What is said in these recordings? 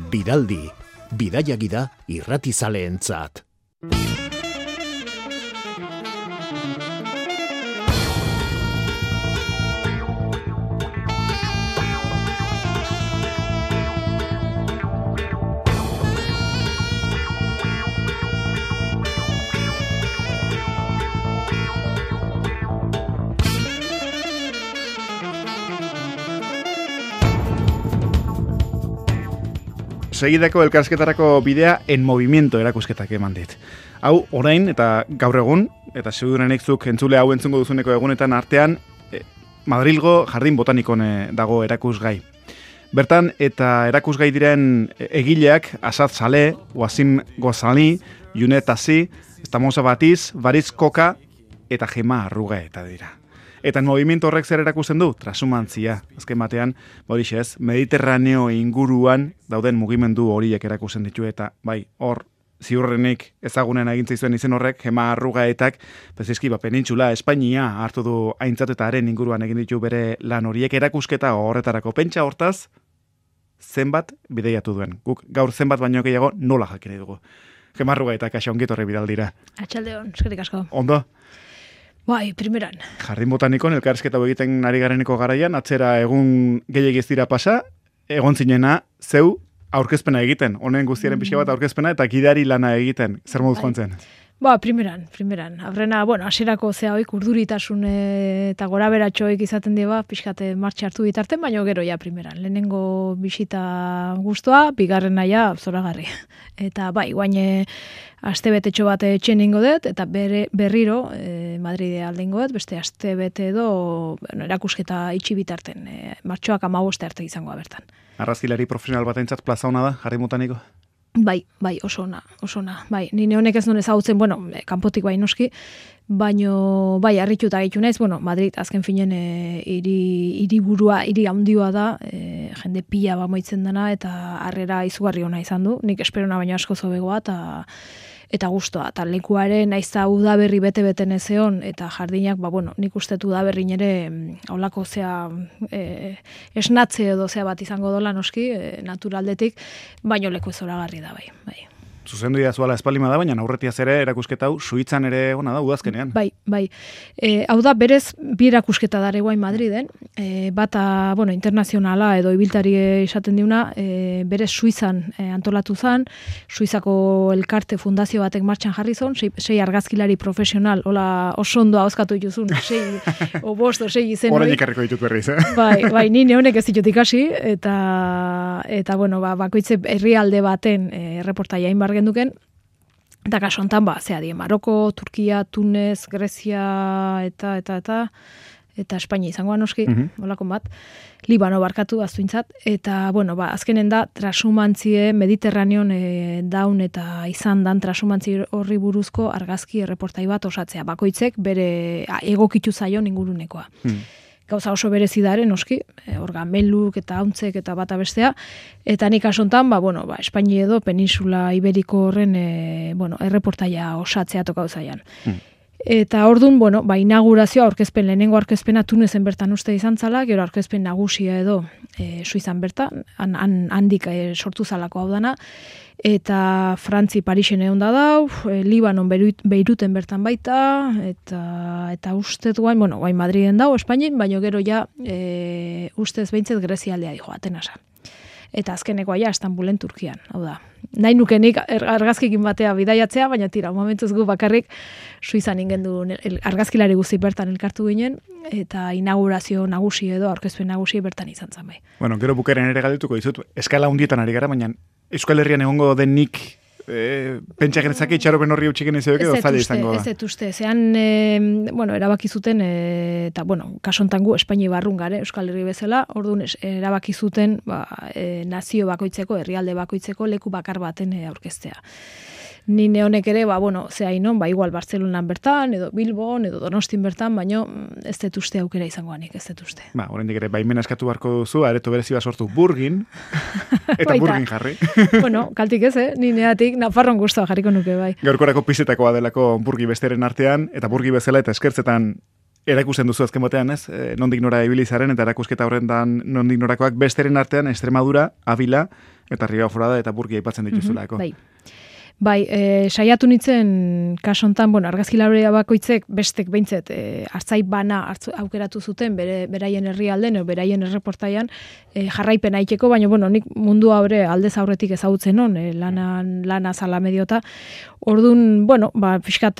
Biraldi, bidaia gida irratizaleentzat. Segidako elkarsketarako bidea En Movimiento erakusketak eman dit. Hau, orain eta gaur egun, eta segurenik zuk entzule hau entzungo duzuneko egunetan artean, Madrilgo Jardin Botanikon dago erakusgai. Bertan, eta erakusgai diren egileak, Asad Saleh, Wasim Ghazali, Junet Tassi, Estamosa Batiz, Bariz Koka, eta Gema Arruga eta dira. Eta En Movimiento horrek zer erakusten du? Trasumantzia. Azken batean, ez, Mediterraneo inguruan dauden mugimendu horiek erakusten ditu eta bai, hor, ziurrenik ezagunen egintza izuen izen horrek, Gema Arrugaetak, bezizki, penintxula, Espainia hartu du aintzat eta haren inguruan egin ditu bere lan horiek erakusketa horretarako. Pentsa hortaz, zenbat bideiatu duen. Guk gaur zenbat baino gehiago nola jakine dugu. Gema Arrugaetak, kaxa ongitorre bidaldira. Atxaldeon, eskerrik asko. Ondo? Bai, primeran. Jardin Botanikon elkarrizketa egiten ari gareneko garaian, atzera egun gehiagiz dira pasa, egon zinena, zeu aurkezpena egiten, honen guztiaren pixka bat aurkezpena eta gidari lana egiten, zer moduz joan zen? Ba, primeran. Aurrena, hasierako hoik urduritasun eta gora beratxoik izaten diba, pixkate martxa hartu bitarten, baina gero ja primeran. Lehenengo bisita guztua, bigarrena ja zoragarri. Eta bai, guain astebetetxo bat etxen ingo dut, eta berriro Madride aldengo dut, beste astebete edo erakusketa itxi bitarten, martxoak 15 arte izangoa bertan. Arrazkilari profesional batentzat plaza hona da, Jardin Botaniko? Bai, oso ona. Bai, nire honek ez nuen ezagutzen, kanpotik bai noski, baino bai, harrituta gaitu naiz, Madrid azken finen hiri handioa da, jende pila bamoitzen dana, eta harrera izugarri ona izan du, nik esperona baino asko zobegoa, eta gustoa, eta lekuaren naizta udaberri bete-beten ezeon, eta jardinak, nik ustetu udaberri nire holako esnatze edo bat izango dola noski, naturaldetik, baino leku zoragarri da bai. Zuzendu zuala espalima da, baina aurretiaz ere erakusketa hau Suitzan ere ona da udazkenean. Bai. Hau da berez bi erakusketa dare guain Madriden, bata, internazionala edo ibiltari esaten diuna, berez Suizan antolatu zan, Suizako elkarte fundazio batek martxan jarri zon, 6 argazkilari profesional, hola oso ondo ahozkatu dituzun, 6 o 5 o 6 izen hori. Orain ikarriko ditut berriz, Bai, nire honek ez ditut ikasi, eta bakoitze herrialde baten reportaia inbar genduken, eta kaso hontan Maroko, Turkia, Tunez, Grezia eta Espainia izangoa noski, holako bat, Libano barkatu aztuintzat, eta azkenen da trasumantzie Mediterraneon daun eta izan dan trasumantzi horri buruzko argazki erreportai bat osatzea, bakoitzek bere egokitu zaion ingurunekoa. Gauza oso berezi dare, noski, orgameluk eta hauntzek eta bata bestea, eta nik asontan, Espainia edo Peninsula Iberiko horren, erreportaia osatzea toka zaian. Eta orduan, inaugurazioa, lehenengo aurkezpena Tunezen bertan uste izan zala, gero aurkezpen nagusia edo Suizan bertan, handik sortu zalako hau dana, eta Frantzi Parisen egon da dau, Libanon Beiruten bertan baita, eta ustez guain Madriden dau, Espainin, baina gero ja ustez behintzet Grezia aldea dijo, Atenasa. Eta azkenekoa ja Istanbulen Turkian, hau da. Nahi nukenik argazkikin batea bidaiatzea, baina tira, momentuz gu bakarrik Suizan ingendu argazkilari guzti bertan elkartu ginen, eta inaugurazio nagusi edo aurkezpen nagusi bertan izan zen bai. Gero bukaren ere galdetuko dizut, eskala hundietan ari gara, baina Euskal Herrian egongo denik pentsa genezake itxaropen horri utxiken izabek edo zaila izango da. Ez uste, zean, erabaki zuten, eta, kasontan gu Espainia barrun gare, Euskal Herri bezala, orduan erabaki zuten nazio bakoitzeko, herrialde bakoitzeko leku bakar baten aurkeztea. Nine honek ere, igual Bartzelonan bertan, edo Bilbon, edo Donostin bertan, baino ez dut uste aukera izangoanik, ez dut uste. Oraindik ere, baimena eskatu beharko duzu, areto berezi bat sortu Burgin, eta Burgin jarri. Kaltik ez, nineatik Nafarron guztua jarriko nuke, bai. Gaurkorako pizetakoa delako Burgi besteren artean, eta Burgi bezala eta eskertzetan erakusten duzu azken batean, ez? Nondik nora ibilizaren eta erakusketa horrendan nondik norakoak besteren artean Extremadura, Avila Eta Ribaforada eta Burgia aipatzen dituzulako. Bai, saiatu nintzen kasontan, argazkilaria bakoitzek bestek behintzet hartzai bana aukeratu zuten beraien herrialden, beraien erreportaian jarraipena iteko, baina nik mundu haure aldez aurretik ezagutzen non, lana zala mediota. Orduan, pixkat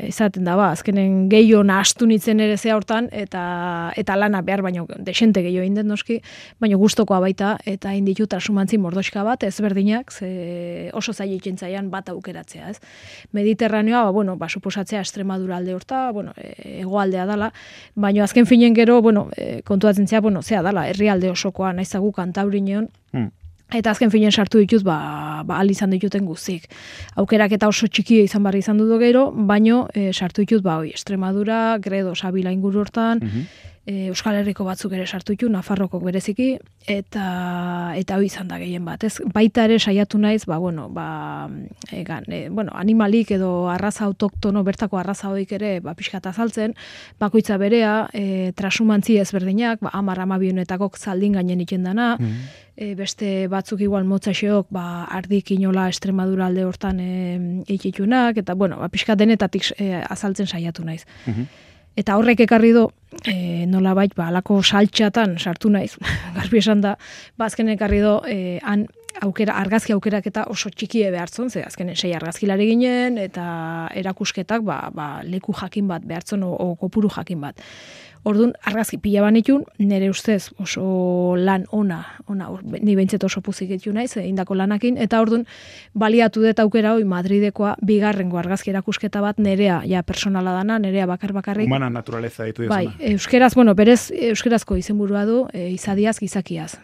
izaten da, azkenen gehiago nahastu nintzen ere zea hortan, eta lana behar, baino desente gehiago indet noski, baino gustokoa baita, eta inditu trasumantzi mordoxka bat, ezberdinak, oso zailetzen zaian bat aukeratzea, ez? Mediterraneoa, suposatzea Extremadura alde horta, hegoaldea dala, baino azken finen gero, kontuatzen zea, zea dala, herrialde osokoa, naizagu Kantabrineon, eta azken finen sartu ditut, ahal izan dituten guztik. Aukerak eta oso txikia izan barri izan dut gero, baino sartu ditut, Extremadura, Gredo, Sabila inguru hortan, Euskal Herriko batzuk ere sartu ditu, Nafarrokok bereziki, eta hori izan da gehien bat. Ez, baita ere saiatu naiz, animalik edo arraza autoktono, bertako arraza hoik ere, pixkat azaltzen, bakoitza berea, trasumantzi ezberdinak, 10-12 honetakok zaldin gainen ikendana, beste batzuk igual motzaxeok, ardik inola Extremadura alde hortan ikitunak, eta pixkat denetatik azaltzen saiatu naiz. Eta horrek ekarri do, nolabait, alako saltxatan sartu naiz, garbi esan da, azken ekarri do, argazki aukerak eta oso txikie behartzen, ze azkenen 6 argazkilari ginen, eta erakusketak leku jakin bat behartzen, o kopuru jakin bat. Orduan, argazki pila banitun, nire ustez oso lan ona, ni behintzet oso puzik etu naiz, indako lanakin, eta orduan, baliatu dut aukera hoi Madridekoa bigarrengo argazki erakusketa bat nerea, personala dana, nerea bakarrik. Humana naturaleza ditu dezuna. Bai, euskeraz, berez euskerazko izenburua du, izadiaz, gizakiaz.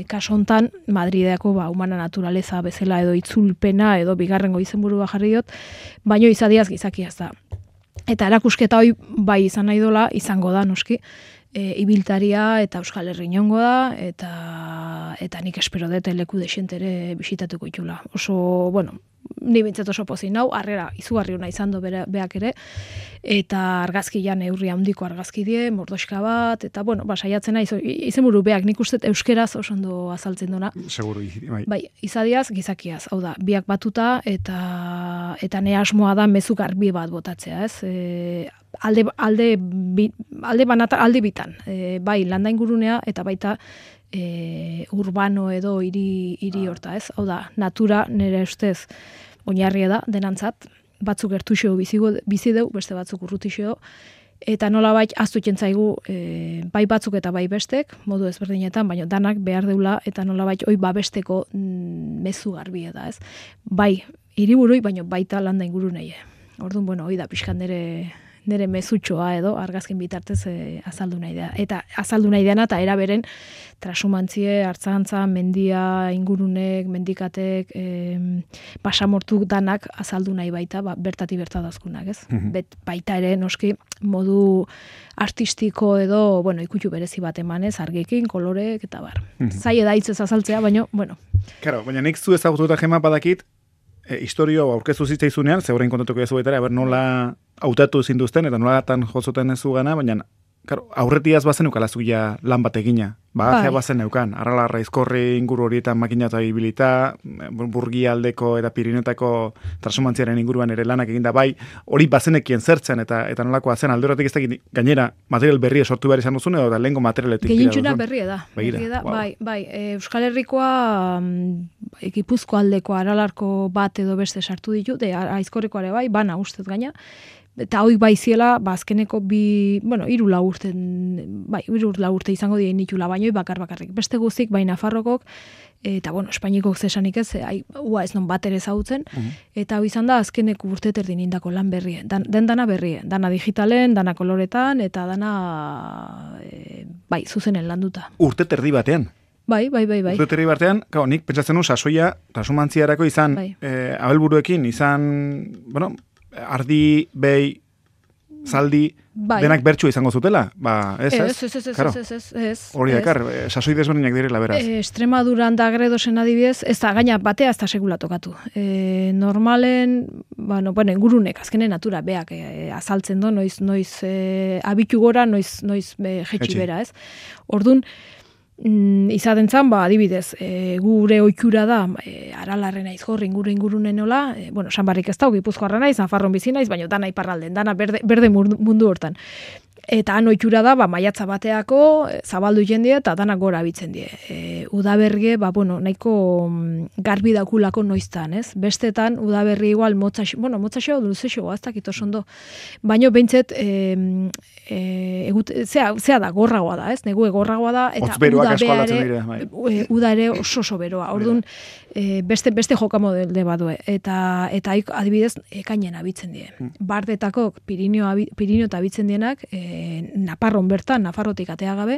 Kaso hontan, Madrideako humana naturaleza bezala edo itzulpena edo bigarrengo izenburua jarri dut, baino izadiaz, gizakiaz da. Eta erakusketa hoi bai izan nahi dola, izango da, noski, ibiltaria eta Euskal Herri inongo da, eta nik espero dut leku desentere bisitatuko itula. Oso, ni bintzat oso pozin nau, harrera izugarri hona izan do beak ere, eta argazkian neurri handiko argazki die, mordoxka bat, eta saiatzen nahi, izenburu beak nik uste euskeraz oso ondo azaltzen duna. Seguru, bai. Bai, izadiaz, gizakiaz, hau da, biak batuta, eta ne asmoa da mezu garbi bat botatzea, ez? Alde bitan, bai landa ingurunea eta baita urbano edo hiri horta, ez? Hau da, natura nire ustez oinarria da denantzat, batzuk gertuxo bizi deu, beste batzuk urrutixo, eta nolabait ahaztutzen zaigu bai batzuk eta bai bestek, modu ezberdinetan, baina danak behar deula eta nolabait hoi babesteko mezu garbia da, ez? Bai, hiriburui, baina baita landa ingurunei. Orduan, hoi da pixkan nire mezutxoa edo argazkin bitartez azaldu nahi da. Eta azaldu nahi dena eta eraberen trasumantzie, hartzantza, mendia, ingurunek, mendikatek, pasamortuk danak azaldu nahi baita, bertati bertadazkunak, ez? Baita ere, noski, modu artistiko edo, ikutu berezi bat emanez, argekin, kolorek, eta bar. Zaila da hitzez azaltzea, baina, Claro, baina nik zu ezagututa Gema badakit, historio aurkeztu zitzaizunean, zeurein kontatuko ez zuetara, nola hautatu zinduzten, eta nola tan jozoten ez zugana, baina aurretiaz bazen ukalazuia lan bat egina. Bagajea bazen neukan, arralarra izkorri inguru horietan makina eta ibilita, Burgia aldeko eta Pirinetako trasumantziaren inguruan ere lanak eginda, bai, hori bazenekien zertzen, eta nolakoa zen, alde horretik ez dakit gainera material berria sortu behar izan duzun, edo da lehenko materialetik. Gehientxuna berria da. Bai, Euskal Herrikoa Gipuzko aldeko aralarko bat edo beste sartu ditu, aizkorrikoa ere bai, bana ustez gaina, eta hoi bai ziela, azkeneko hiru lau urte izango dien nitula, baina bakarrik. Beste guztik, bai Nafarrokok, eta Espainikok zesanik ez, ua ez non bat ere zautzen, eta hoi izan da azkeneko urte terdin indako lan berrie. Dana berrie, dana digitalen, dana koloretan, eta dana zuzenen landuta. Urte terdi batean? Bai. Urte terdi batean, nik pentsatzen sasoia, trasumantziarako izan, abelburuekin, izan, ardi, behi, zaldi, denak bertxua izango zutela? Ez. Hori dakar, sasoi desberdinak direla, beraz. Extremaduran da Gredosen adibidez, ez da, gaina batea ez da segula tokatu. Normalen, ingurunek, azkenen natura, beak azaltzen do, noiz abitu gora, noiz jetxi bera, ez? Orduan, izaten zan, adibidez, gure ohitura da, Aralarren naiz hor, ingurunen nola, bueno, Sanbarrik ez da, Gipuzkoarra naiz, Nafarron bizi naiz, baina dana iparralden, dana berde mundu hortan. Eta han ohitura da, maiatza bateako, zabaldu jendie eta danak gora bitzen die. Udaberrie, nahiko garbi dakulako noiztan, ez? Bestetan, udaberri igual, motzaxo, luzexo, ez dakit oso ondo. Baina behintzet, zea da, gorragoa da, ez? Negu gorragoa da, eta uda ere oso beroa. Orduan, beste jokamodelde badue. Eta adibidez, ekainen abitzen die. Bardetako Pirinio eta abitzen dienak, Naparron bertan, Nafarrotik atea gabe,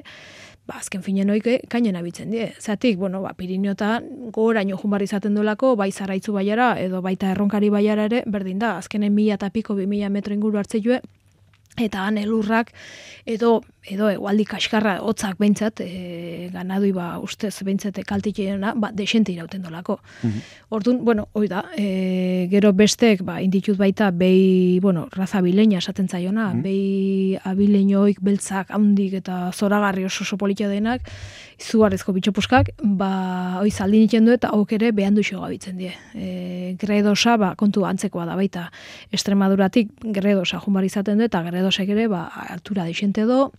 azken finen oike kainen abitzen die. Zatik, Piriniotan goraino junbar izaten dolako, bai Zaraitzu baiara, edo baita Erronkari baiara ere, berdin da, azkenen 1000 eta piko, 2000 metro inguru hartze joe, eta han elurrak, edo egualdi kaskarra hotzak behintzat, ganadui ustez behintzat kaltikena, desente irauten dolako. Orduan, hoi da, gero bestek, inditut baita, behi, raza abileña esaten zaiona, behi abileñoik, beltzak, handik eta zoragarri oso politia denak, izugarrizko bitxopuskak, hoi zaldin iten du eta hauk ere behan duxo gabitzen die. Gredosa, kontu antzekoa da baita, Extremaduratik gredosa junbar izaten du, eta gredosek ere, altura desente do,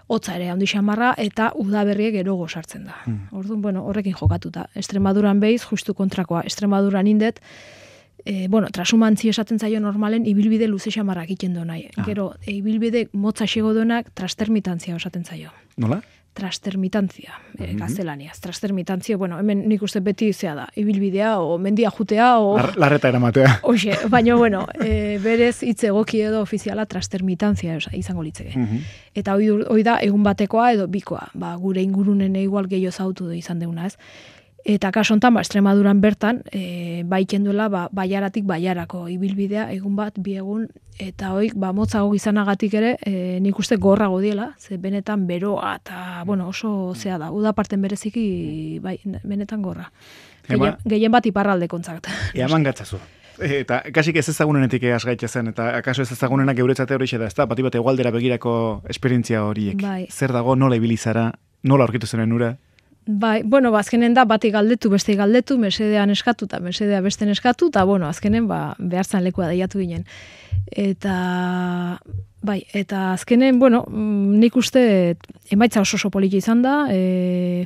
hotza ere handi xamarra, eta udaberriek erogo sartzen da. Orduan, horrekin jokatuta. Extremaduran behiz, justu kontrakoa. Extremaduran indet, trasumantzi esaten zaio normalen, ibilbide luze xamarrak iten do nahi. Gero, ibilbide motza xego duenak, trastermitantzia esaten zaio. Nola? Trastermitantzia, gaztelaniaz. Trastermitantzia, hemen nik uste beti zea da, ibilbidea, o mendia jutea, o... Larreta eramatea. Hoxe, baina, berez hitz egoki edo ofiziala trastermitantzia izango litzeke. Eta hoi da, egun batekoa edo bikoa, gure ingurunen igual gehiago zautu izan deuna, ez? Eta kaso hontan, Extremaduran bertan, baiken duela, baiaratik baiarako ibilbidea, egun bat, bi egun, eta hoi, motzago izanagatik ere, nik uste gorrago diela, ze benetan beroa, eta, oso zea da, udaparten bereziki, benetan gorra. Gehien bat iparralde kontzakt. Eaman gatzazu. Eta kasik ez ezagunenetik egaz gaitza zen, eta akaso ez ezagunenak euretzate hori da, ez da, bat egualdera begirako esperientzia horiek. Zer dago, nola ibilizara, nola aurkitu zenen ura? Azkenen da, bati galdetu, beste galdetu, mesedean eskatu, eta mesedea besten eskatu, eta, azkenen, behar zan lekua daiatu ginen. Eta azkenen, nik uste, emaitza oso poliki izan da,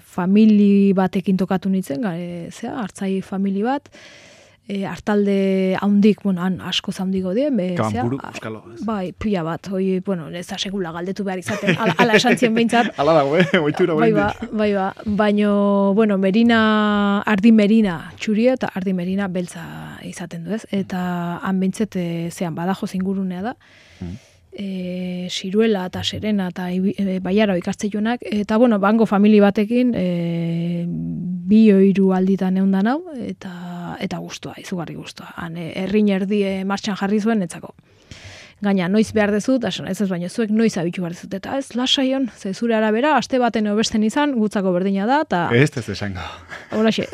famili batekin tokatu nintzen, hartzai famili bat, hartalde haundik, han asko zaundiko dien. Kabanpuru, euskalo. Pila bat, ez da segula galdetu behar izaten, ala esan zien behintzat. Ala dago, oitura baino, Merina, Ardi Merina txuria eta Ardi Merina beltza izaten du, ez? Eta han behintzet, Badajoz ingurunea da, Siruela eta Serena eta Baiara ikastetxonak, eta bango famili batekin 2-3 alditan eundan hau, eta guztua, izugarri guztua. Han errin erdie martxan jarri zuen etzako. Gaina, noiz behar dezut, ez baino zuek noiz abitu behar dezut, eta ez lasaion, ze zure arabera, aste baten obesten izan, gutzako berdina da, eta... Ez esango. Horaxe.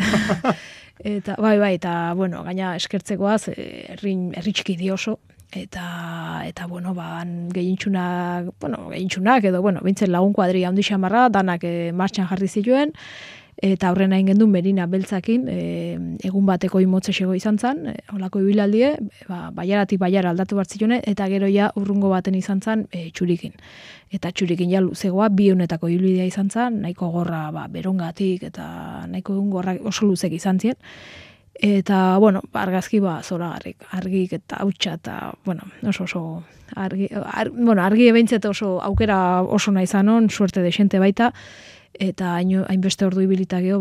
Eta, eta, gaina eskertzekoaz, herri txiki di oso, eta gehientxunak, edo, bintzen lagun kuadria handi xamarra, danak martxan jarri zituen, eta aurrena ingendu Merina beltzakin, egun bateko imotze xego izan zan, holako ibilandie, baiaratik baiara aldatu bartzitune, eta gero ja urrungo baten izan zan txurikin. Eta txurikin ja luzegoa, 2 ibilbidea izan zan, nahiko gorra berongatik, eta nahiko gorra oso luzek izan zien. Eta, argazki zoragarrik, argik eta hautsa, eta, oso argi ebeintzet oso aukera oso nahi zanon, suerte desente baita, eta hainbeste ordu ibilita geho,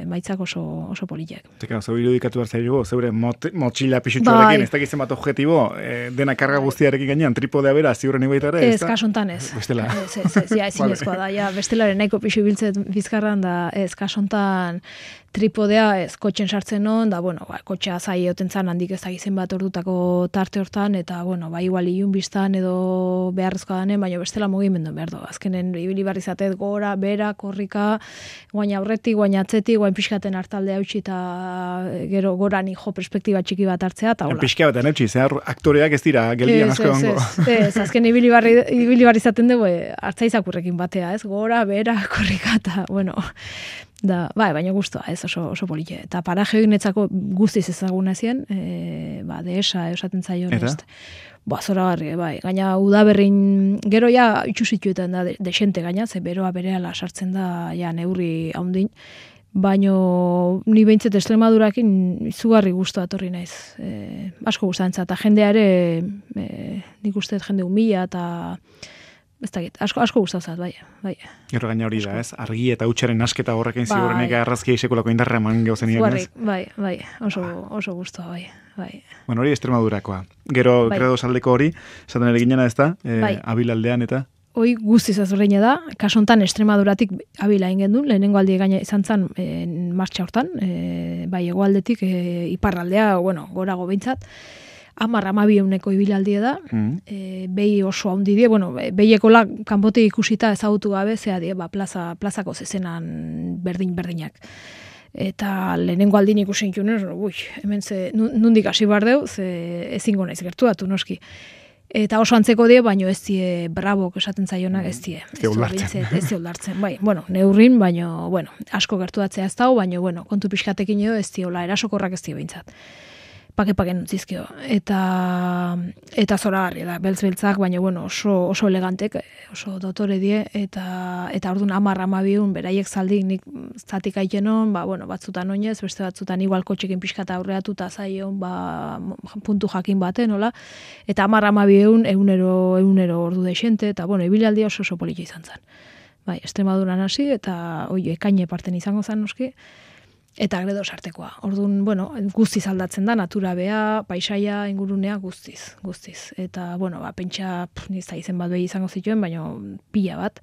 maitzak oso politak. Teka, zeu irudikatu hartzailu, zeure motxila pixutxoarekin, ez dakitzen bat objetibo, dena karga guztiarekin gainean, tripodea bera, ziurren ibaita ere? Ez, kasontan ez. Bestela. Ezinezkoa da, bestelaren nahiko pixu ibiltzet bizkarran, da ez, kasontan tripodea ez, kotxen sartzen non, da, kotxea zai egoten zan, handik ez dakizen bat ordutako tarte hortan, eta, igual ilun biztan edo beharrezkoa danen, baina bestela mugimendu behar du. Azkenen, ibili barri zatez gora, bera, korrika, guain aurretik, guain atzetik, guain pixkaten hartaldea utzi eta gero gorani jo perspektiba txiki bat hartzea, eta hola. Pixka batean eutxi, zehar aktoreak ez dira, geldian asko egongo. Ez, azken ibili barri izaten dugu, hartzaizakurrekin batea, ez? Gora, bera, korrika, eta, bueno, da, baina guztua, ez oso polite. Eta paraje hori netzako guztiz ezaguna ezien, dehesa, esaten zaio, ez? Zora garri, bai. Gaina udaberrin, gero ja itxusituetan da desente gaina, ze beroa berehala sartzen da ja neurri haundin, baino ni behintzet Extremadurakin izugarri guztua etorri naiz. Asko gustantza, eta jendea ere, nik uste jende humila, eta ez dakit, asko gustazat, bai. Gero gaina hori da, ez? Argi eta hutsaren asketa horrekin ziurrenek arrazkia isekulako indarra eman gauzen ian, ez? Bai, oso guztua, bai. Bueno, hori Extremadurakoa. Gero, Gredo saldeko hori, esaten ere ginena ez da, Abilaldean eta? Hoi guztiz azurreina da, kasontan Extremaduratik Abila ingen duen, lehenengo aldi gaina izan zan martxa hortan, bai, egoaldetik iparraldea, gorago behintzat, 10-12 ibilaldia da, behi oso handi die, behiekola kanpotik ikusita ezagutu gabe, zea die, plazako zezenan berdinak. Eta lehenengo aldin ikusen junez, hemen nundik hasi bar deu, ze ezingo naiz gertuatu noski. Eta oso antzeko die, baino ez die brabok esaten zaionak ez die. Ez die ulartzen, bai. Neurrin, baino, asko gertuatzea ez dago, baino, kontu pixkatekin edo ez die, erasokorrak ez die behintzat. Pake nutzizkio. Eta zoragarri da, beltz-beltzak, baina oso elegantek, oso dotore die, eta orduan 10-12 beraiek zaldik nik zatik aitenon, batzutan oinez, beste batzutan igual kotxekin pixkata aurreatu eta zaion, puntu jakin baten, hola, eta 10-12 egunero ordu deixente, eta ibilaldi oso polita izan zen. Bai, Extremaduran hasi, eta ekaine parten izango zen noski, eta Gredo sartekoa. Orduan, guztiz aldatzen da, natura bea, paisaia, ingurunea, guztiz. Eta, pentsa, nizta izen bat behi izango zituen, baina pila bat.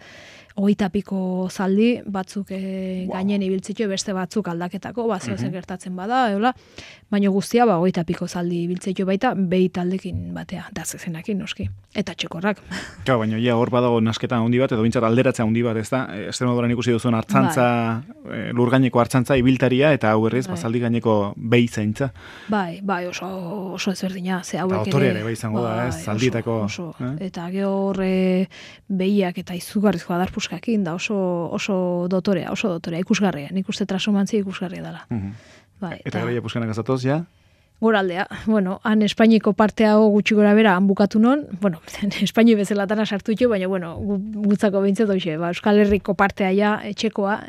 20 piko zaldi, batzuk gainen ibiltzitue, beste batzuk aldaketako, zer gertatzen bada, baina guztia, 20 piko zaldi ibiltzitue baita, behi taldekin batea, da zezenakin, noski. Eta txekorrak. Baina, hor badago nasketa handi bat, edo bintzat alderatzea handi bat, ez da? Extremaduran ikusi duzuen hartzantza, lur gaineko hartzantza ibiltaria, eta hau berriz, zaldi gaineko behi zaintza. Bai, oso ezberdina, ze hauek ere. Eta autore ere, bai izango da, ez? Zaldietako. Eta gehor behiak eta izugarrizko adarpuskakin, da oso dotorea, ikusgarria. Nik uste trasomantzia ikusgarria dela. Eta gara puskenak azatoz, ja? Goraldea. Han Espainiko partea gutxi gora bera, han bukatu non, Espaini bezelatana sartu itxo, baina, gutzako behintzat hoxe, Euskal Herriko partea ja, etxekoa,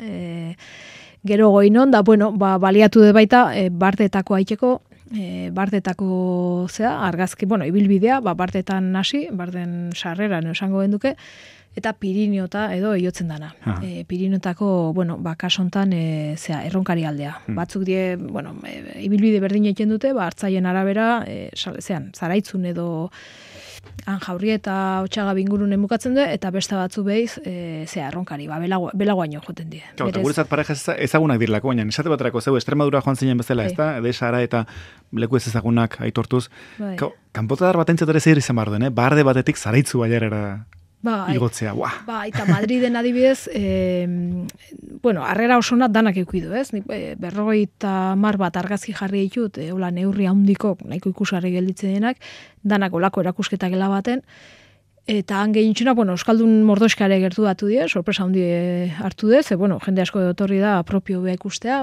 gero goinon, da, baliatu de baita, bardeetako aitzeko, bardetako argazki, ibilbidea, bardetan hasi, barden sarreran esango genduke, eta Pirineota edo eiotzen dana. Pirineotako, kasontan erronkari aldea. Batzuk die, ibilbide berdin egiten dute, hartzaien arabera, zaraitzun edo Anjaurri eta Otxaga bingurunen bukatzen du, eta beste batzu behiz, erronkari, belagoaino joten die. Eta guretzat pareja ezagunak dirlako, baina esate baterako zeu, Extremadura joan zinen bezala, ez da? Edesara eta leku ez ezagunak aitortuz. Kanpotadar bat entzat ere zeir izan behar duen, barde batetik zaraitzu baiarera igotzea, eta Madriden adibidez, harrera osona danak eukidu, ez? 50 bat argazki jarri ditut, neurri handiko, nahiko ikusgarri gelditzen denak, danak olako erakusketa gela baten, eta han gehientxuna, Euskaldun mordoskare gertu datu die, sorpresa handi hartu dez, jende asko etorri da propio beha ikustea,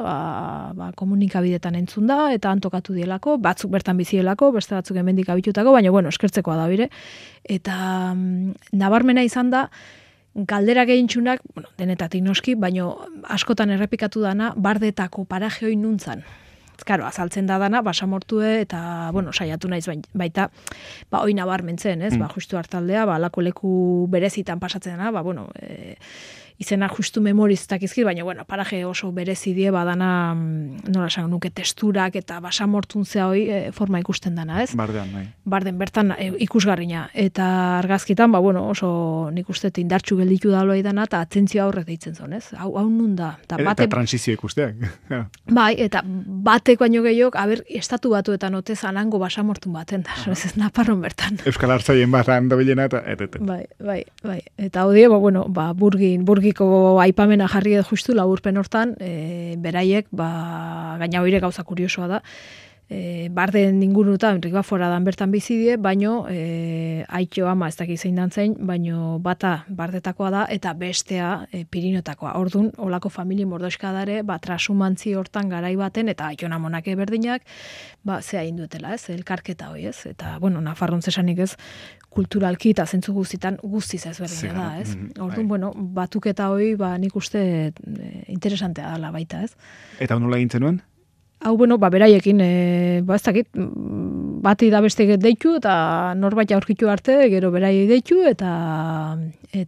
komunikabidetan entzun da, eta antokatu dielako, batzuk bertan bizielako, beste batzuk hemendik abitutako, baina, eskertzekoa da bire. Eta nabarmena izan da, galdera gehientxunak, denetatik noski, baina askotan errepikatu dana, bardetako paraje hoi nuntzan. Karo, azaltzen da dana, basamortue eta, saiatu naiz baita, hoi nabarmentzen, ez? Justu hartaldea, alako leku berezitan pasatzen dena, izena justu memoriztak izkir, baina, paraje oso berezi die, badana, nola esan nuke testurak eta basamortun zea hoi forma ikusten dana, ez? Bardean, bai. Barden, bertan ikusgarrina. Eta argazkitan, oso nik uste indartxu gelditu da loa dana, eta atentzioa horrek deitzen zon, ez? Hau nun da. Eta transizio ikusteak. Bai, eta batek baino gehiok, estatu batuetan otez anango basamortun baten da, ez Naparron bertan. Euskal Hartzaien barran dobilena eta... Bai. Eta hau die, burgin tokiko aipamena jarri edo justu laburpen hortan, beraiek, gaina hoire gauza kuriosoa da, barden ingurutan, Ribafora dan bertan bizi die, baino aitio ama ez dakit zein dan zein, baino bata bardetakoa da, eta bestea Pirinotakoa. Ordun olako famili mordoskadare, trasumantzi hortan garai baten, eta aiton amonake berdinak, zea indutela, ez, elkarketa hoi, ez, eta, bueno, Nafarron zesanik ez, kulturalki eta zentzu guztitan guztiz ezberdina da, ez. Orduan, bueno, batuketa hoi, nik uste interesantea dela baita, ez. Eta nola egintzen nuen? Hau, bueno, beraiekin, ez dakit, bati da beste deitu, eta norbait aurkitu arte, gero beraiei deitu, eta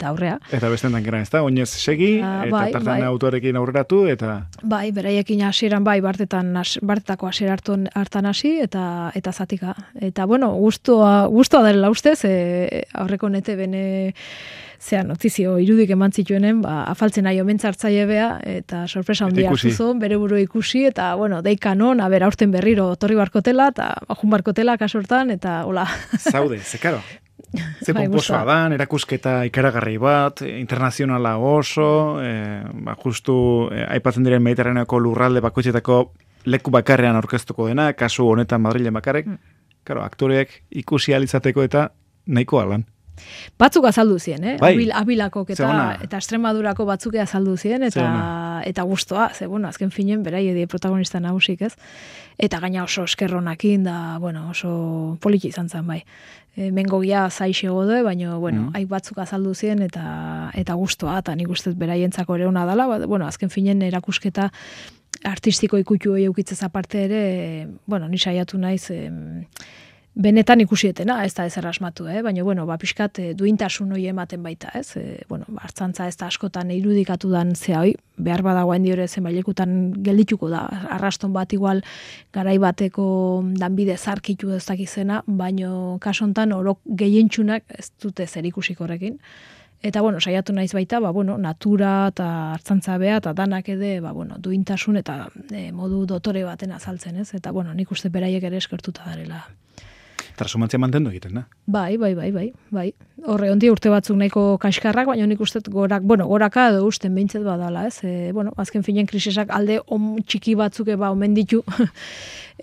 aurrea. Eta beste dankera, ez da? Oinez segi, eta tartan autorekin aurreratu, eta... Bai, beraiekin hasieran bartetako hasiera hartan hasi, eta zatika. Eta, bueno, guztua dela ustez, aurreko nete bene... notizio irudik eman zituenen, afaltzen nahi omentzartzaile bea, eta sorpresa handia hartu zuen, bere buru ikusi, eta, bueno, deikanon, aurten berriro torri barkotela, eta jun barkotela kasortan, eta hola. Zaude, zekaro. Ze pomposoa dan, erakusketa ikaragarri bat, internazionala oso, justu aipatzen diren Mediterraneoko lurralde bakoitzetako leku bakarrean aurkeztuko dena, kasu honetan Madrilen bakarrek, aktoreek ikusi alizateko eta nahikoa lan. Batzuk azaldu zien, Abilakok eta Extremadurako batzuk azaldu zien, eta gustoa, ze, bueno, azken finen, berai die protagonista nagusik, ez? Eta gaina oso eskerronakin, da, bueno, oso poliki izan zen, bai. Mengogia zaixe gode, baina, bueno, haik batzuk azaldu zien, eta gustoa, eta nik ustez beraientzako ere ona dela, bueno, azken finen erakusketa artistiko ikutu hori eukitzez aparte ere, bueno, ni saiatu naiz, benetan ikusietena, ez da ezer asmatu, baina, bueno, pixkat duintasun hori ematen baita, ez? Bueno, hartzantza ez da askotan irudikatu dan zea hoi, behar badagoen diore zenbailekutan geldituko da, arraston bat igual garai bateko danbide zarkitu ez dakizena, baina kasontan orok gehientsunak ez dute zer ikusik horrekin. Eta, bueno, saiatu naiz baita, bueno, natura eta hartzantza bea, eta danak ede, bueno, duintasun eta modu dotore baten azaltzen, ez? Eta, bueno, nik uste beraiek ere eskertuta darela. Trasumantzia mantendu egiten, da? Bai. Horre, ondi urte batzuk nahiko kaskarrak, baina nik uste goraka edo usten behintzet badala, ez? Bueno, azken finen krisisak alde txiki batzuk omen ditu,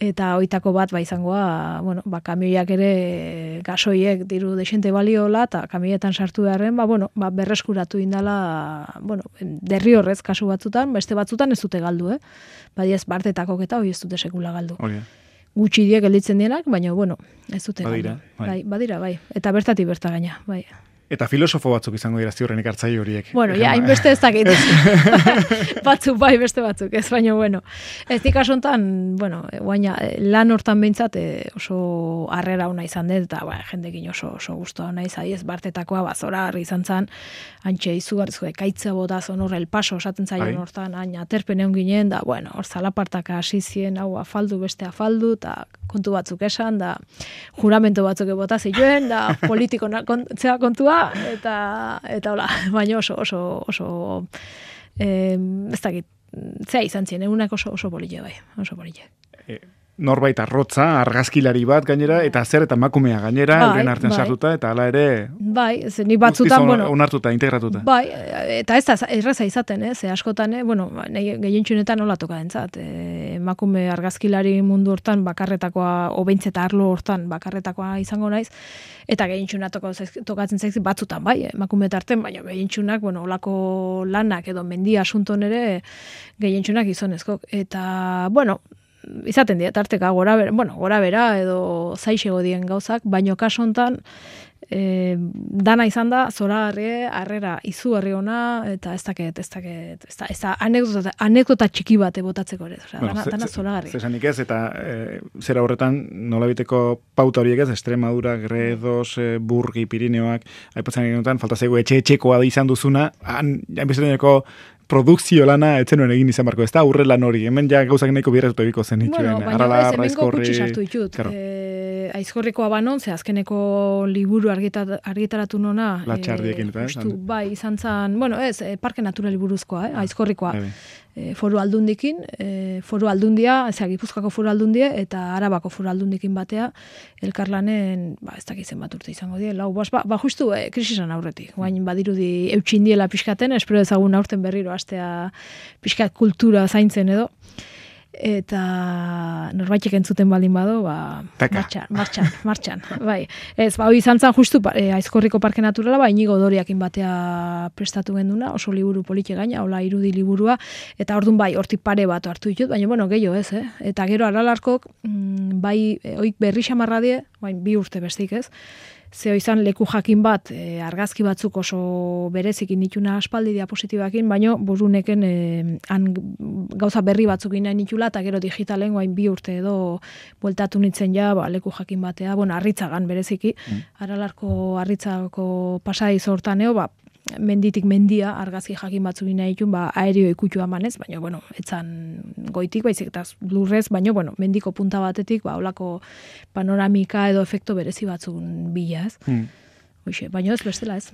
eta oitako bat izangoa, bueno, kamioiak ere gasoiek diru desente baliola, eta kamioietan sartu beharren, berreskuratu indala, bueno, derri horrez kasu batzutan, beste batzutan ez dute galdu, Badiez, bartetakok eta hori ez dute sekula galdu. Gutxi diek gelditzen dienak, baina, bueno, ez dute. Badira, bai. Eta bertatik berta gaina, bai. Eta filosofo batzuk izango dira ziurrenik hartzaile horiek. Bueno, hainbeste ez dakit. Batzuk bai, beste batzuk, ez baina, bueno. Ez dik asontan, bueno, guaina, lan hortan behintzat oso harrera ona izan dut, eta jendekin oso guztua ona izan, ez bartetakoa bazora harri izan zan, antxe izugarrizko ekaitza bota zon horre el paso osaten zaion hortan, aina aterpen egon ginen, da, bueno, hor zalapartaka hasi zien, hau afaldu, beste afaldu, eta kontu batzuk esan, da juramento batzuk bota zituen, da politiko zea kontua, eta hola, baina oso ez dakit, zea izan zien, egunak oso polile bai, oso polile. Norbait arrotza, argazkilari bat gainera, eta zer eta makumea gainera, euren artean sartuta, eta hala ere... Bai, ni batzutan, bueno... Onartuta, integratuta. Bai, eta ez da erraza izaten, ze askotan, bueno, gehientsunetan nola toka dentzat. Emakume argazkilari mundu hortan, bakarretakoa, obeintzeta arlo hortan, bakarretakoa izango naiz, eta gehientsuna tokatzen zaiz batzutan, bai, emakume tarten, baina gehientsunak, bueno, olako lanak edo mendia asunton ere, gehientsunak gizonezkok. Eta, bueno, izaten dira, tarteka gora bera edo zaixego dien gauzak, baino kaso hontan dana izan da, zoragarri, harrera izugarri ona, eta ez da anekdota txiki bat botatzeko ere, dana zoragarri. Zesanik ez, eta zera horretan nolabiteko pauta horiek ez, Extremadura, Gredos, Burgi, Pirineoak, aipatzen egenutan, falta zaigu etxekoa da izan duzuna, hainbesteteneko produkzio lana etzenuen egin izan barko, ez da aurre lan hori, hemen ja gauzak nahiko birretuta ebiko zen itxuen. Bueno, baina ez, hemengo gutxi sartu ditut. Aizkorrikoa banon, ze azkeneko liburu argitaratu nona. Latxardiekin eta, bai, izan zan, bueno, ez, Parke Naturali buruzkoa, Aizkorrikoa. Foru aldundikin, foru aldundia, Gipuzkoako foru aldundia, eta Arabako foru aldundikin batea, elkarlanen, ez dakitzen bat urte izango die, lau, justu krisisan aurretik. Guain badirudi eutxindiela pixkaten, espero ezagun aurten berriro astea pixkat kultura zaintzen edo. Eta norbaitek entzuten baldin bado, martxan, bai. Ez, hori izan zan justu Aizkorriko Parke Naturala, Inigo Doriakin batea prestatu genduna, oso liburu politxe gaina, hola irudi liburua, eta ordun bai, hortik pare bat hartu ditut, baina bueno, gehiago ez, Eta gero Aralarkok, bai, oik berri xamarra die, bai, 2 urte bestik ez, zeo izan leku jakin bat, argazki batzuk oso berezikin dituna aspaldi diapositibakin, baina buruneken gauza berri batzuk nahi nitula, eta gero digitalen guain 2 urte edo bueltatu nintzen ja, leku jakin batea, arritzagan bereziki, Aralarko arritzako pasai zortaneo, menditik mendia argazki jakin batzuk nahi ditun, aerio ikutua manez, baina, etzan goitik, baizik eta lurrez, baina, mendiko punta batetik, holako panoramika edo efekto berezi batzun bila, ez? Hoxe, baina ez bestela, ez?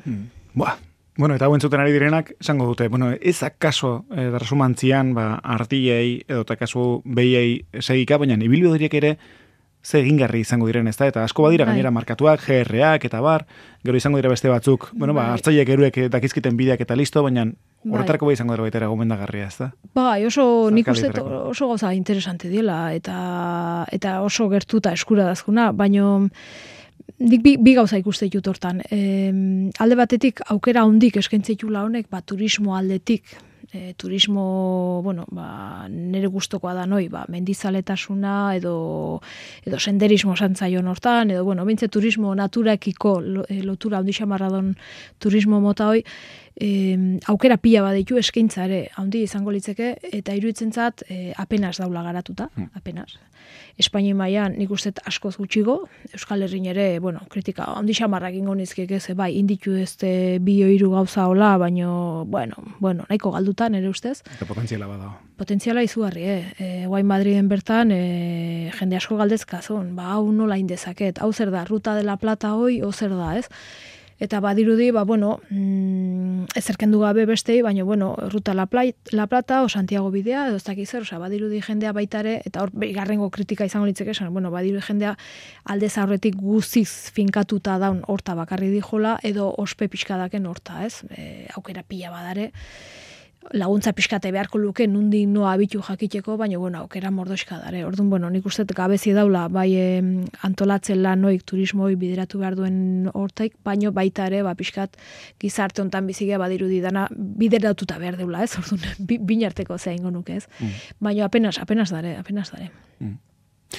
Bueno, eta entzuten ari direnak, esango dute, ez akaso darrasumantzian, artilei, edo akaso behiei segika, baina ibilbide horiek ere, ze egingarri izango diren, ez da? Eta asko badira gainera markatuak, GR-ak eta bar, gero izango dira beste batzuk, hartzaileek eruek dakizkiten bideak eta listo, baina horretarako izango dira baita gomendagarria, ez da? Nik uste oso gauza interesante diela, eta oso gertuta eskura dazkuna, baina nik bi gauza ikuste ditut hortan. Alde batetik aukera hondik eskaintzeitula honek, turismo aldetik, turismo, nire gustokoa da noi, mendizaletasuna edo senderismo santzaion hortan, edo, bintze turismo naturakiko lotura handi xamarradon turismo mota hoi, aukera pila baditu eskaintza ere handi izango litzeke, eta iruditzen zat apenas daula garatuta, apenas. Espainia mailan nik uste askoz gutxigo, Euskal Herrin ere, kritika handi xamarra egingo nizkiek ez, inditu ez 2-3 gauza hola, baino, nahiko galduta nere ustez. Eta potentziala bada. Potentziala izugarri, Guain Madriden bertan, jende asko galdezkazun, hau nola indezaket, hau zer da, Ruta de la Plata hoi, zer da, ez? Eta badirudi, ezerkendu gabe bestei, baina, Ruta la Plata o Santiago bidea, edo ez dakiz zer, badirudi jendea baitare, eta hor, garrengo kritika izango litzeke esan, badirudi jendea aldez aurretik guziz finkatuta daun horta bakarri dijola, edo ospe pixkadaken horta, ez? Aukera pila badare, laguntza pixkate beharko luke nundi noa abitu jakiteko, baina aukera mordoxka dare. Orduan, nik uste gabezi daula, bai antolatzen lanoik, turismoi bideratu behar duen hortaik, baina baita ere, pixkat gizarte hontan bizigea badirudi dana bideratuta behar deula, ez? Orduan, binarteko zein nuke, ez? Baina apenas dare.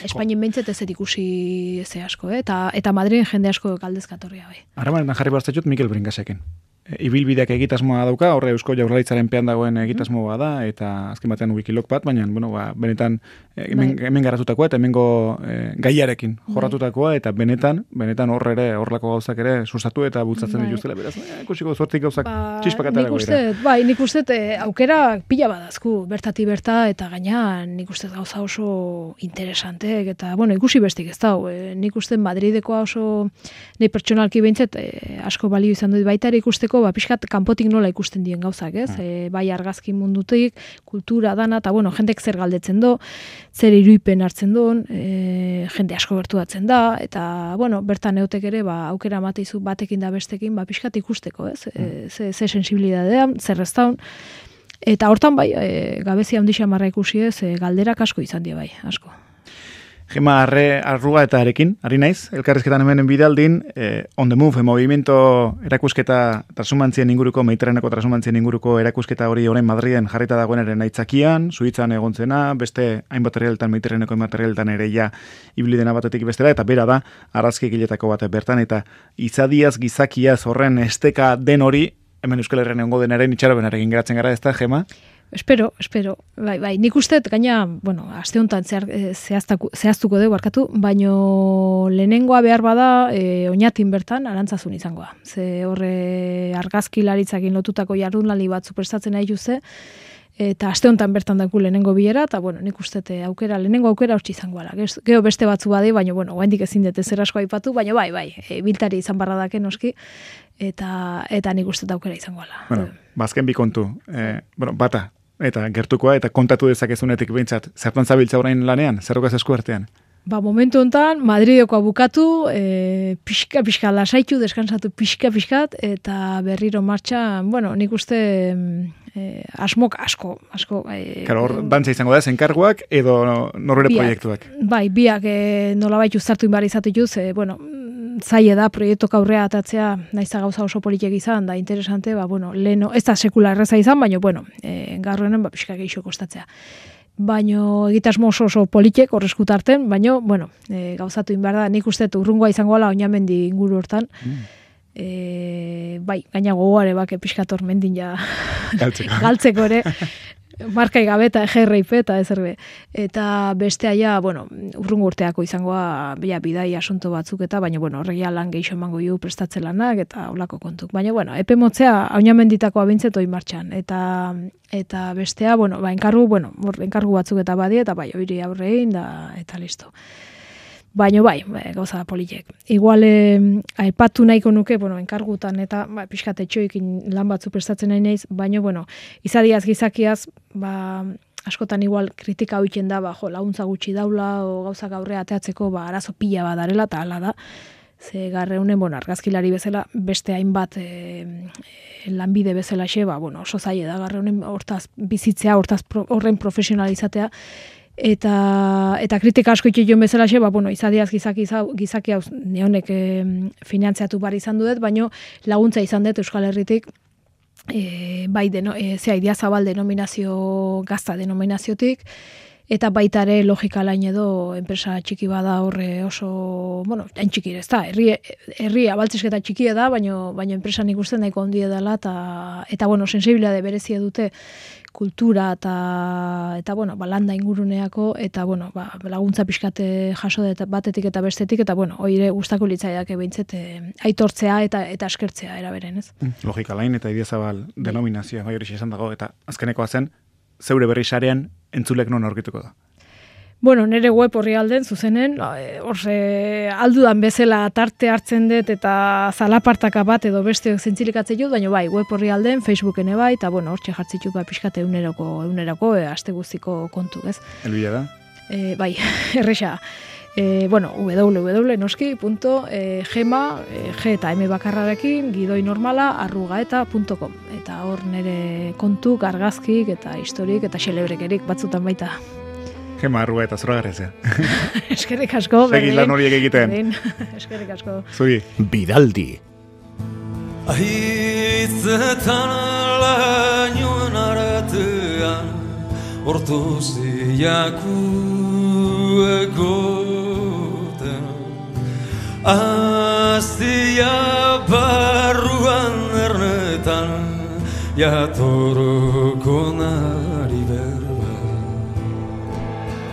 Espainien behintzet ez ikusi ze asko, eta Madriden jende asko galdezkatorria bai. Harremanetan jarri bastatut Mikel Bringasekin. Ibilbideak egitasmoa dauka, horre Eusko Jaurlaritzaren pean dagoen egitasmoa da, eta azken batean wikilog bat, baina, benetan hemen garatutakoa, eta hemengo gaiarekin jorratutakoa, eta benetan horre ere, horrelako gauzak ere, sustatu eta bultzatzen dituztela, beraz, ikusiko zortzik gauzak txispakatara goira. Nik uste, aukera pila badazku, bertati berta, eta gaina, nik uste gauza oso interesanteek, eta, ikusi bestik ez da, nik uste Madridekoa oso, nahi pertsonalki behintzet, asko balio izan dut baita ere ikusteko, pixkat kanpotik nola ikusten dien gauzak, ez? Bai argazki mundutik, kultura dana, eta jendek zer galdetzen do, zer iruipen hartzen duen, jende asko bertuatzen da, eta, bertan eotek ere, aukera mateizu batekin da bestekin, pixkat ikusteko, ez? Ze sensibilidadean, zer ez daun. Eta hortan bai, gabezia handi xamarra ikusi ez, galderak asko izan die bai, asko. Gema Arrua eta Arekin, ari naiz, elkarrizketan hemenen bidaldin, On the Move, movimiento erakusketa trasumantzien inguruko, Mediterraneko trasumantzien inguruko erakusketa hori orain Madriden jarrita dagoenaren aitzakian, Suitzan egontzena, beste hainbat herrialdetan, Mediterraneko hainbat herrialdetan ere ja ibili dena batetik bestela, eta bera da, arrazki egiletako bat bertan, eta izadiaz, gizakiaz, horren esteka den hori, hemen Euskal Herrian egongo denaren itxarobenarekin geratzen gara, ez da, Gema? Espero. Bai, nik uste, gaina, aste honetan zehaztuko dugu barkatu, baino lehenengoa behar bada oinatin bertan arantzazun izangoa. Ze horre argazki laritzakin lotutako jardunlali batzu prestatzen nahi juze, eta aste honetan bertan daku lehenengo bilera, eta bueno, nik uste lehenengo aukera hortzi izango ala. Gero beste batzu bade, baina bueno, oraindik ezin dut zer asko aipatu, baina bai, biltari izan barra dake noski, eta nik uste aukera izango ala. Bueno, bazken bi kontu, bata, eta gertukoa, eta kontatu dezakezunetik behintzat, zertan zabiltza orain lanean, zerrokaz esku artean? Momentu honetan, Madrideko bukatu, pixka lasaitu, deskansatu pixkat, eta berriro martxan, bueno, nik uste asmok asko. Karo, hor, dantza izango da, zenkarguak edo norbere proiektuak? Bai, biak nolabait uztartu inbar izatituz, bueno, zaila da proiektok aurrea atatzea, naiza gauza oso politek izan, da interesante, leheno, ez da sekula erreza izan, baina, bueno, garroenen, pixka gehiago kostatzea. Baino egitasmo oso politek horrezkutarten, baino, bueno, gauzatu inbar da, nik uste urrungoa izango ala oinamendi inguru hortan. Bai, gaina gogoare bake pixkator mendin ja galtzeko ere, markai gabeta EGRIP eta ezerbe. Eta bestea ja, bueno, urrungo urteako izangoa bidai asunto batzuk eta, baina, bueno, horregia lan geixo emango ju prestatze lanak eta olako kontuk. Baina, bueno, epe motzea oinamenditakoa bintzeto martxan. Eta bestea, bueno, enkargu batzuk eta badie, eta bai, hori aurrein, eta listo. Baina bai, gauza politek. Igual, aipatu nahiko nuke, bueno, enkargutan eta pixkat etxoekin lan batzu prestatzen nahi naiz, baina, bueno, izadiaz gizakiaz, askotan igual kritika hoiten da, laguntza gutxi daula, o gauza gaurrea ateatzeko, arazo pila badarela, eta hala da. Ze garreunen, bueno, argazkilari bezala, beste hainbat lanbide bezala xe, oso zaila da, garreunen hortaz bizitzea, horren profesionalizatea, eta kritika asko itxio bezala xe, izadiaz gizaki hau neonek finantziatu bar izan dut, baino laguntza izan dut Euskal Herritik, bai, Idiazabal denominazio, gazta denominaziotik, eta baita ere logika lain edo enpresa txiki bada horre oso, bueno, hain txiki ez da, herri abaltzesketa txikia da, baino enpresa nik uste nahiko ondia dela, eta bueno, sensibilitate berezia dute kultura eta bueno, landa inguruneako, eta bueno, laguntza pixkate jaso batetik eta bestetik, eta bueno, oire gustako litzaidak behintzet aitortzea eta eskertzea eraberen, ez? Logika lain eta Idiazabal denominazioa, bai hori esan dago, eta azkenekoa zen, zeure berri sarean entzulek non aurkituko da? Bueno, nire web horri alden, zuzenen, aldudan bezala tarte hartzen dut eta zalapartaka bat edo beste zentzilikatzen dut, baina bai, web horri alden, Facebooken bai, eta bueno, hortxe jartzitut pixkate eguneroko, aste guztiko kontu, ez? Elbila da? Bai, erresa. www.noski.gema, G eta M bakarrarekin, gidoinormala@eta.com. Eta hor nire kontu, argazkik eta historik eta xelebrekerik batzutan baita. Gema arrua eta zoragarrezea. Eskerrik asko. Segi lan horiek egiten. Eskerrik asko. Zuri. Bidaldi. Ahitzetan lainoen artean ortoziaku egoten Aztia barruan ernetan jatoroko nahi